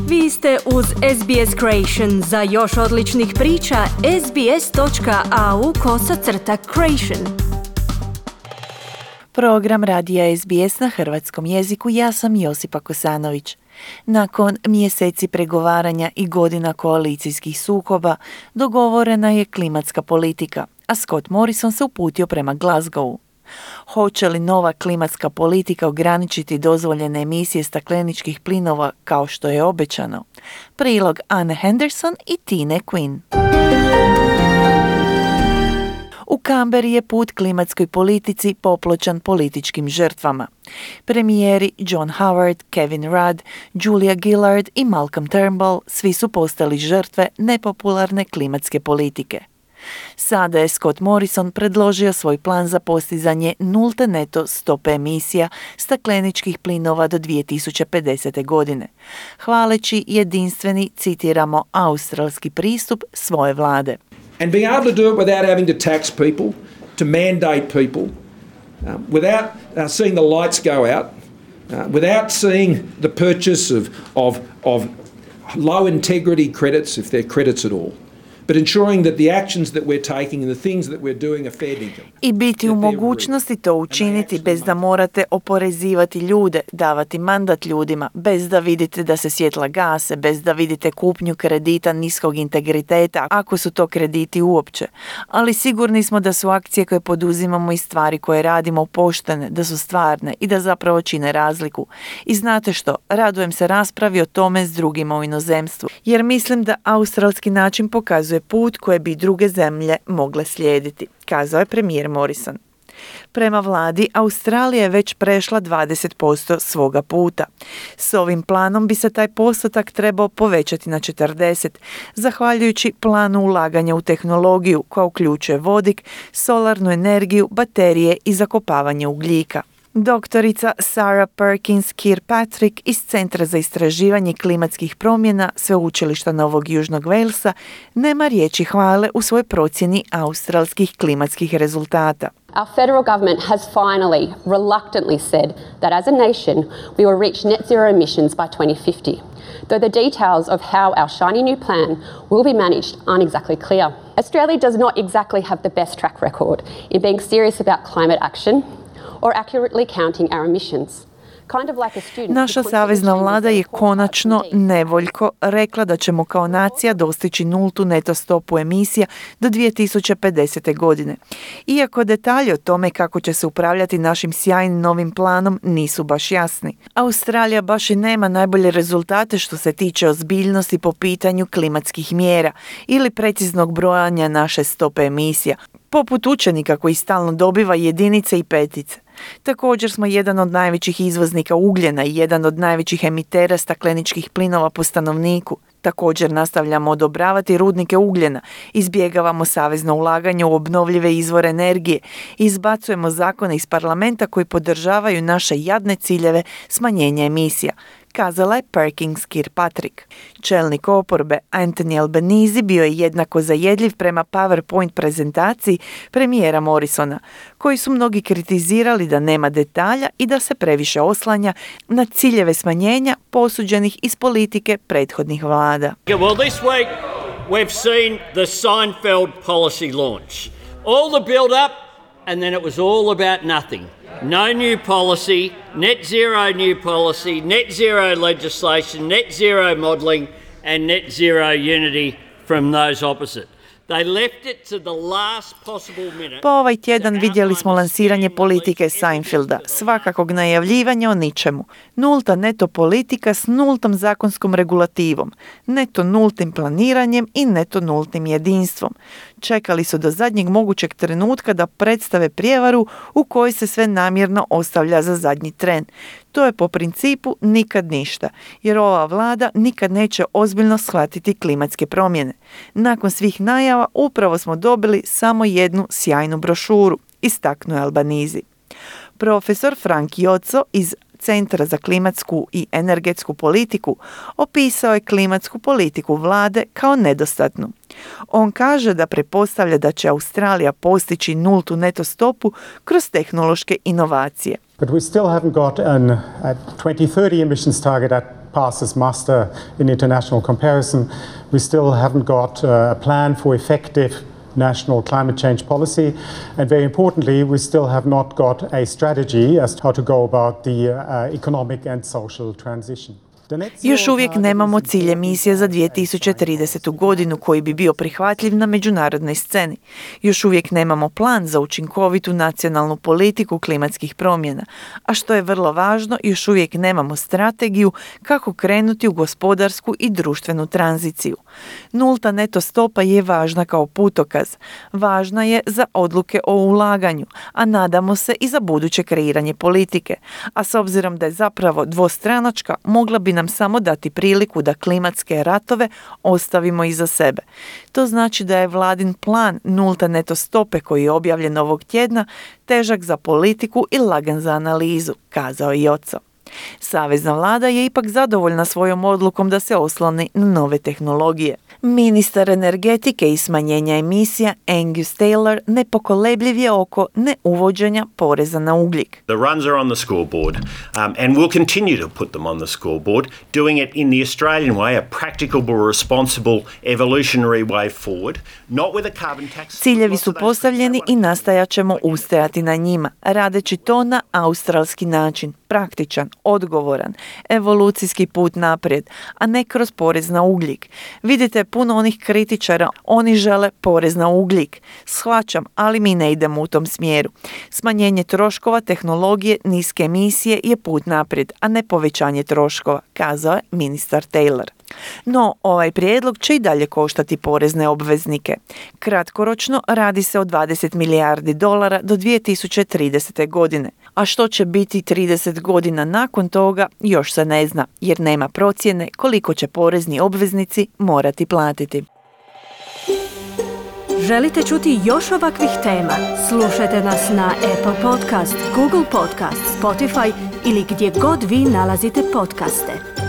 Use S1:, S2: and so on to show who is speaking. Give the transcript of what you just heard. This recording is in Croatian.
S1: Vi ste uz SBS Creation. Za još odličnih priča, sbs.au/creation.
S2: Program radija SBS na hrvatskom jeziku. Ja sam Josipa Kosanović. Nakon mjeseci pregovaranja i godina koalicijskih sukoba, dogovorena je klimatska politika, a Scott Morrison se uputio prema Glasgowu. Hoće li nova klimatska politika ograničiti dozvoljene emisije stakleničkih plinova kao što je obećano? Prilog Anne Henderson i Tine Quinn. U Canberri je put klimatskoj politici popločan političkim žrtvama. Premijeri John Howard, Kevin Rudd, Julia Gillard i Malcolm Turnbull svi su postali žrtve nepopularne klimatske politike. Sada je Scott Morrison predložio svoj plan za postizanje nulte neto stope emisija stakleničkih plinova do 2050. godine, hvaleći jedinstveni, citiramo, australski pristup svoje vlade.
S3: And being able to do it without having to tax people, to mandate people, without seeing the lights go out, without seeing the purchase of low integrity credits, if they're credits at all. But ensuring that the actions that we're taking and the things that we're doing are fair dinkum.
S2: I biti u mogućnosti to učiniti bez da morate oporezivati ljude, davati mandat ljudima, bez da vidite da se svjetla gase, bez da vidite kupnju kredita niskog integriteta, ako su to krediti uopće. Ali sigurni smo da su akcije koje poduzimamo i stvari koje radimo poštene, da su stvarne i da zapravo čine razliku. I znate što, radujem se raspravi o tome s drugima u inozemstvu, jer mislim da australski način pokazuje put koje bi druge zemlje mogle slijediti, kazao je premijer Morrison. Prema vladi, Australija je već prešla 20% svoga puta. S ovim planom bi se taj postotak trebao povećati na 40%, zahvaljujući planu ulaganja u tehnologiju koja uključuje vodik, solarnu energiju, baterije i zakopavanje ugljika. Doktorica Sarah Perkins Kirkpatrick iz Centra za istraživanje klimatskih promjena Sveučilišta Novog Južnog Walesa nema riječi hvale u svojoj procjeni australskih klimatskih rezultata.
S4: Our federal government has finally, reluctantly said that as a nation we will reach net zero emissions by 2050, though the details of how our shiny new plan will be managed aren't exactly clear. Australia does not exactly have the best track record in being serious about climate action or accurately counting our emissions.
S2: Naša savezna vlada je konačno nevoljko rekla da ćemo kao nacija dostići nultu neto stopu emisija do 2050. godine. Iako detalji o tome kako će se upravljati našim sjajnim novim planom nisu baš jasni. Australija baš i nema najbolje rezultate što se tiče ozbiljnosti po pitanju klimatskih mjera ili preciznog brojanja naše stope emisija, poput učenika koji stalno dobiva jedinice i petice. Također smo jedan od najvećih izvoznika ugljena i jedan od najvećih emitera stakleničkih plinova po stanovniku. Također nastavljamo odobravati rudnike ugljena, izbjegavamo savezno ulaganje u obnovljive izvore energije i izbacujemo zakone iz parlamenta koji podržavaju naše jadne ciljeve smanjenja emisija, kazala je Perkins Kirkpatrick. Čelnik oporbe Anthony Albanese bio je jednako zajedljiv prema PowerPoint prezentaciji premijera Morrisona, koji su mnogi kritizirali da nema detalja i da se previše oslanja na ciljeve smanjenja posuđenih iz politike prethodnih vlada.
S5: Well, this week we've seen the Seinfeld policy launch. All the build up and then it was all about nothing. No new policy, net zero new policy, net zero legislation, net zero modelling and net zero unity from those opposite. They left it to the last possible minute.
S2: Po ovaj tjedan vidjeli smo lansiranje politike Seinfelda, svakakog najavljivanja o ničemu. Nulta neto politika s nultom zakonskom regulativom, neto nultim planiranjem i neto nultim jedinstvom. Čekali su do zadnjeg mogućeg trenutka da predstave prijevaru u kojoj se sve namjerno ostavlja za zadnji tren. To je po principu nikad ništa, jer ova vlada nikad neće ozbiljno shvatiti klimatske promjene. Nakon svih najava upravo smo dobili samo jednu sjajnu brošuru, istaknuo je Albanese. Profesor Frank Joco iz Centra za klimatsku i energetsku politiku opisao je klimatsku politiku vlade kao nedostatnu. On kaže da pretpostavlja da će Australija postići nultu neto stopu kroz tehnološke inovacije.
S6: But we still haven't got a 2030 emissions target at passes muster in international comparison. We still haven't got a plan for effective national climate change policy, and very importantly, we still have not got a strategy as to how to go about the economic and social transition.
S2: Još uvijek nemamo cilj emisije za 2030. godinu koji bi bio prihvatljiv na međunarodnoj sceni. Još uvijek nemamo plan za učinkovitu nacionalnu politiku klimatskih promjena, a što je vrlo važno, još uvijek nemamo strategiju kako krenuti u gospodarsku i društvenu tranziciju. Nulta neto stopa je važna kao putokaz. Važna je za odluke o ulaganju, a nadamo se i za buduće kreiranje politike. A s obzirom da je zapravo dvostranačka, mogla bi nam samo dati priliku da klimatske ratove ostavimo iza sebe. To znači da je vladin plan nulta neto stope koji je objavljen ovog tjedna težak za politiku i lagan za analizu, kazao je Joco. Savezna vlada je ipak zadovoljna svojom odlukom da se osloni na nove tehnologije. Ministar energetike i smanjenja emisija Angus Taylor nepokolebljiv je oko neuvođenja poreza na ugljik.
S7: The runs are on the scoreboard and we'll continue to put them on the scoreboard, doing it in the Australian way, a practicable, responsible, evolutionary way forward, not with a carbon tax.
S2: Ciljevi su postavljeni i nastajat ćemo ustajati na njima, radeći to na australski način, praktičan, odgovoran, evolucijski put naprijed, a ne kroz porez na ugljik. Vidite puno onih kritičara, oni žele porez na ugljik. Shvaćam, ali mi ne idemo u tom smjeru. Smanjenje troškova, tehnologije, niske emisije je put naprijed, a ne povećanje troškova, kazao je ministar Taylor. No, ovaj prijedlog će i dalje koštati porezne obveznike. Kratkoročno radi se o 20 milijardi dolara do 2030. godine. A što će biti 30 godina nakon toga još se ne zna, jer nema procjene koliko će porezni obveznici morati platiti.
S1: Želite čuti još ovakvih tema? Slušajte nas na Apple Podcast, Google Podcast, Spotify ili gdje god vi nalazite podcaste.